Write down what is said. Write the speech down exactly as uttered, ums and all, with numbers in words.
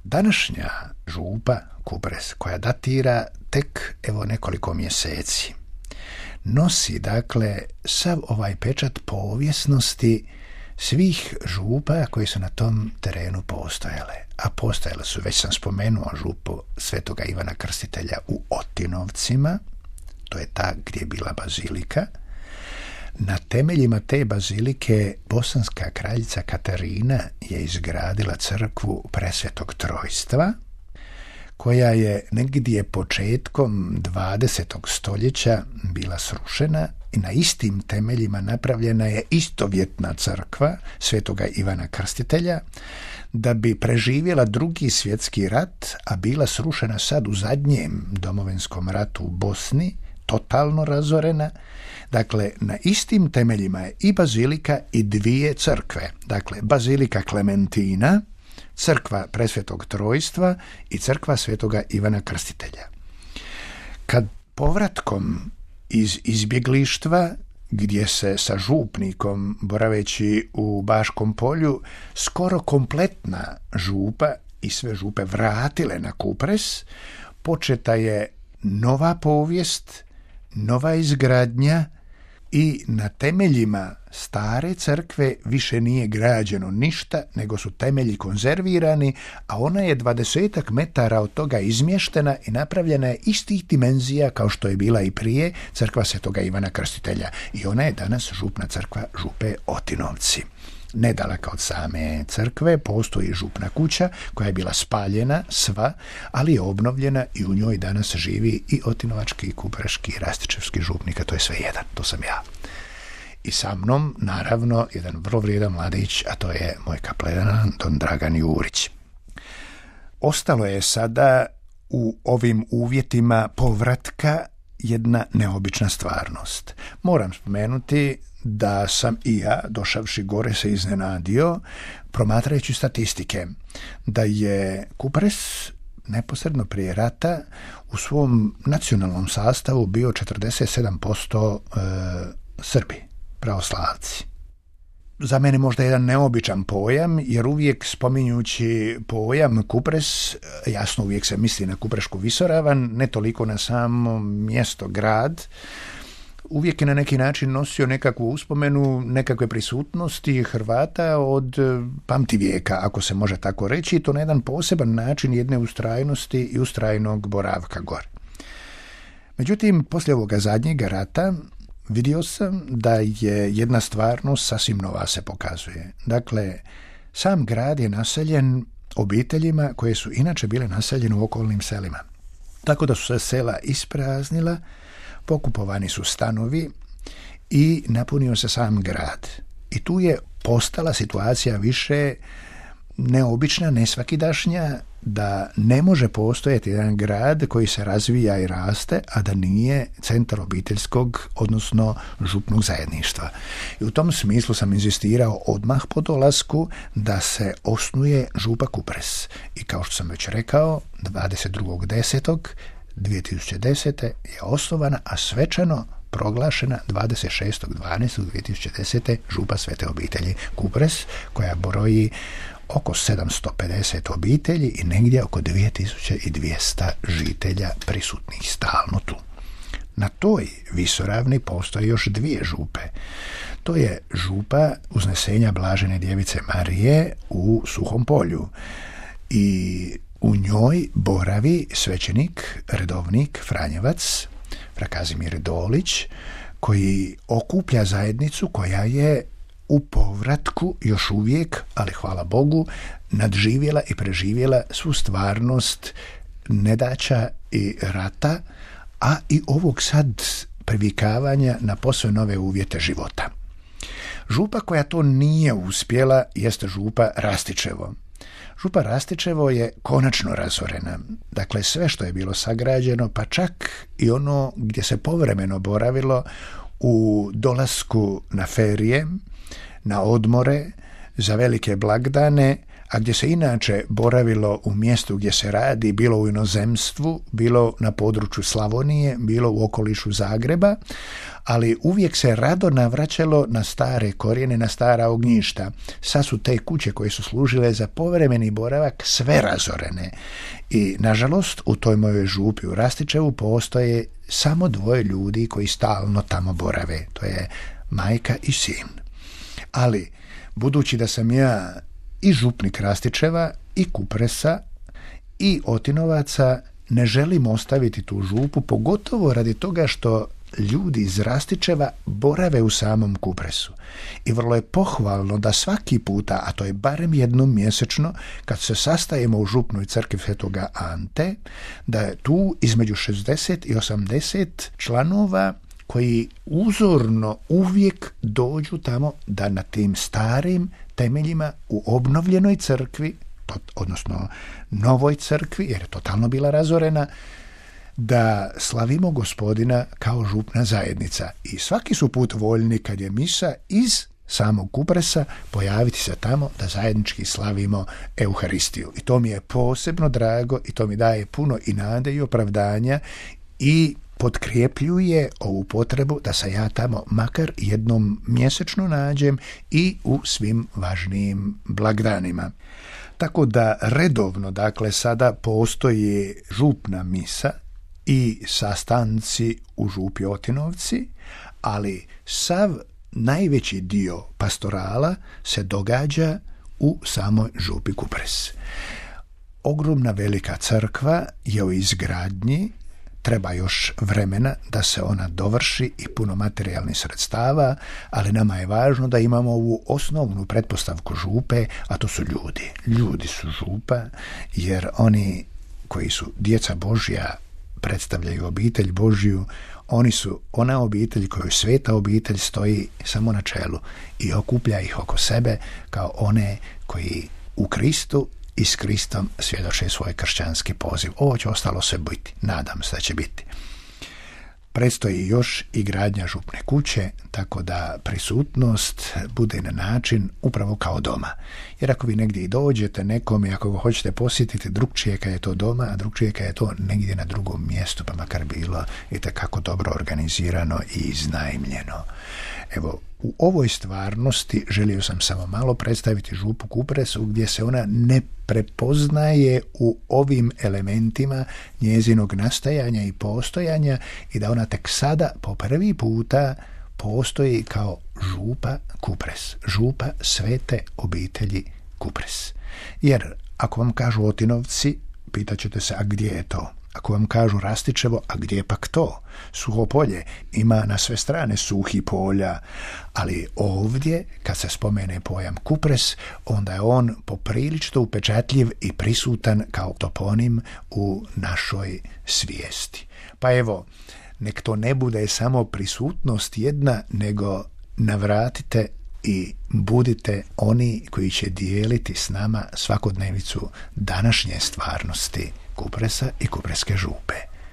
Današnja župa Kupres, koja datira tek evo nekoliko mjeseci, nosi dakle sav ovaj pečat povijesnosti svih župa koji su na tom terenu postojale. A postojale su, već sam spomenuo, župu Svetoga Ivana Krstitelja u Otinovcima, to je ta gdje je bila bazilika. Na temeljima te bazilike bosanska kraljica Katarina je izgradila crkvu Presvetog Trojstva, koja je negdje početkom dvadesetog stoljeća bila srušena i na istim temeljima napravljena je istovjetna crkva Svetoga Ivana Krstitelja, da bi preživjela drugi svjetski rat, a bila srušena sad u zadnjem domovinskom ratu u Bosni, totalno razorena. Dakle, na istim temeljima je i bazilika i dvije crkve. Dakle, bazilika Klementina, crkva Presvetog Trojstva i crkva Svetoga Ivana Krstitelja. Kad povratkom iz izbjeglištva, gdje se sa župnikom, boraveći u Baškom Polju, skoro kompletna župa i sve župe vratile na Kupres, početa je nova povijest, nova izgradnja i na temeljima stare crkve više nije građeno ništa, nego su temelji konzervirani, a ona je dvadesetak metara od toga izmještena i napravljena je istih dimenzija kao što je bila i prije crkva Svetoga Ivana Krstitelja. I ona je danas župna crkva župe Otinovci. Nedaleko od same crkve postoji župna kuća koja je bila spaljena sva, ali je obnovljena i u njoj danas živi i otinovački, i kupreški, i rastičevski župnik, a to je sve jedan, to sam ja. I sa mnom, naravno, jedan vrlo vrijedan mladić, a to je moj kapledan, don Dragan Jurić. Ostalo je sada u ovim uvjetima povratka jedna neobična stvarnost. Moram spomenuti da sam i ja, došavši gore, se iznenadio, promatrajući statistike, da je Kupres neposredno prije rata u svom nacionalnom sastavu bio četrdeset sedam posto e, Srbi, pravoslavci. Za mene možda jedan neobičan pojam, jer uvijek spominjući pojam Kupres, jasno uvijek se misli na Kuprešku visoravan, ne toliko na samo mjesto, grad. Uvijek je na neki način nosio nekakvu uspomenu, nekakve prisutnosti Hrvata od pamtivijeka, ako se može tako reći, i to na jedan poseban način jedne ustrajnosti i ustrajnog boravka gore. Međutim, poslije ovoga zadnjega rata vidio sam da je jedna stvarnost sasvim nova se pokazuje. Dakle, sam grad je naseljen obiteljima koje su inače bile naseljene u okolnim selima. Tako da su se sela ispraznila, pokupovani su stanovi i napunio se sam grad. I tu je postala situacija više neobična, nesvakidašnja, da ne može postojati jedan grad koji se razvija i raste, a da nije centar obiteljskog, odnosno župnog zajedništva. I u tom smislu sam inzistirao odmah po dolasku da se osnuje župa Kupres. I kao što sam već rekao, dvadeset drugog desetog dvije tisuće desete. je osnovana, a svečano proglašena dvadeset šestog dvanaestog dvije tisuće desete. župa Svete obitelji Kupres, koja broji oko sedamsto pedeset obitelji i negdje oko dvije tisuće dvjesto žitelja prisutnih stalno tu. Na toj visoravni postoje još dvije župe. To je župa Uznesenja Blažene Djevice Marije u Suhom Polju i u njoj boravi svećenik, redovnik, Franjevac, fra Kazimir Dolić, koji okuplja zajednicu koja je u povratku još uvijek, ali hvala Bogu, nadživjela i preživjela svu stvarnost nedaća i rata, a i ovog sad privikavanja na posve nove uvjete života. Župa koja to nije uspjela jeste župa Rastičevo. Župa Rastičevo je konačno razorena. Dakle, sve što je bilo sagrađeno, pa čak i ono gdje se povremeno boravilo u dolasku na ferije, na odmore, za velike blagdane, a gdje se inače boravilo u mjestu gdje se radi, bilo u inozemstvu, bilo na području Slavonije, bilo u okolišu Zagreba, ali uvijek se rado navraćalo na stare korijene, na stara ognjišta. Sad su te kuće koje su služile za povremeni boravak sve razorene. I, nažalost, u toj mojoj župi u Rastičevu postoje samo dvoje ljudi koji stalno tamo borave. To je majka i sin. Ali, budući da sam ja i župnik Rastičeva, i Kupresa, i Otinovaca, ne želim ostaviti tu župu, pogotovo radi toga što ljudi iz Rastičeva borave u samom Kupresu. I vrlo je pohvalno da svaki puta, a to je barem jednom mjesečno, kad se sastajemo u župnoj crkvi Svetoga Ante, da je tu između šezdeset i osamdeset članova koji uzorno uvijek dođu tamo da na tim starim temeljima u obnovljenoj crkvi, odnosno novoj crkvi, jer je totalno bila razorena, da slavimo Gospodina kao župna zajednica. I svaki su put voljni kad je misa iz samog Kupresa pojaviti se tamo da zajednički slavimo Euharistiju. I to mi je posebno drago i to mi daje puno i nade i opravdanja i potkrepljuje ovu potrebu da se ja tamo makar jednom mjesečno nađem i u svim važnijim blagdanima. Tako da redovno, dakle, sada postoji župna misa i sastanci u župi Otinovci, ali sav najveći dio pastorala se događa u samoj župi Kupres. Ogromna velika crkva je u izgradnji, treba još vremena da se ona dovrši i puno materijalnih sredstava, ali nama je važno da imamo ovu osnovnu pretpostavku župe, a to su ljudi. Ljudi su župa, jer oni koji su djeca Božja predstavljaju obitelj Božju, oni su ona obitelj koju sveta obitelj stoji samo na čelu i okuplja ih oko sebe kao one koji u Kristu i s Kristom svjedoče svoj kršćanski poziv. Ovo će ostalo sve biti. Nadam se da će biti. Predstoji još i gradnja župne kuće, tako da prisutnost bude na način upravo kao doma. Jer ako vi negdje i dođete nekom i ako ga hoćete posjetiti, drugčije kad je to doma, a drugčije kad je to negdje na drugom mjestu, pa makar bilo itekako dobro organizirano i iznajmljeno. Evo, u ovoj stvarnosti želio sam samo malo predstaviti župu Kupresu, gdje se ona ne prepoznaje u ovim elementima njezinog nastajanja i postojanja i da ona tek sada po prvi puta postoji kao župa Kupres, župa svete obitelji Kupres. Jer ako vam kažu Otinovci, pitaćete se, a gdje je to? Ako vam kažu Rastičevo, a gdje je pak to? Suho polje, ima na sve strane suhi polja, ali ovdje, kad se spomene pojam Kupres, onda je on poprilično upečatljiv i prisutan kao toponim u našoj svijesti. Pa evo, nek to ne bude samo prisutnost jedna, nego navratite i budite oni koji će dijeliti s nama svakodnevicu današnje stvarnosti Kupresa i Kupreske župe.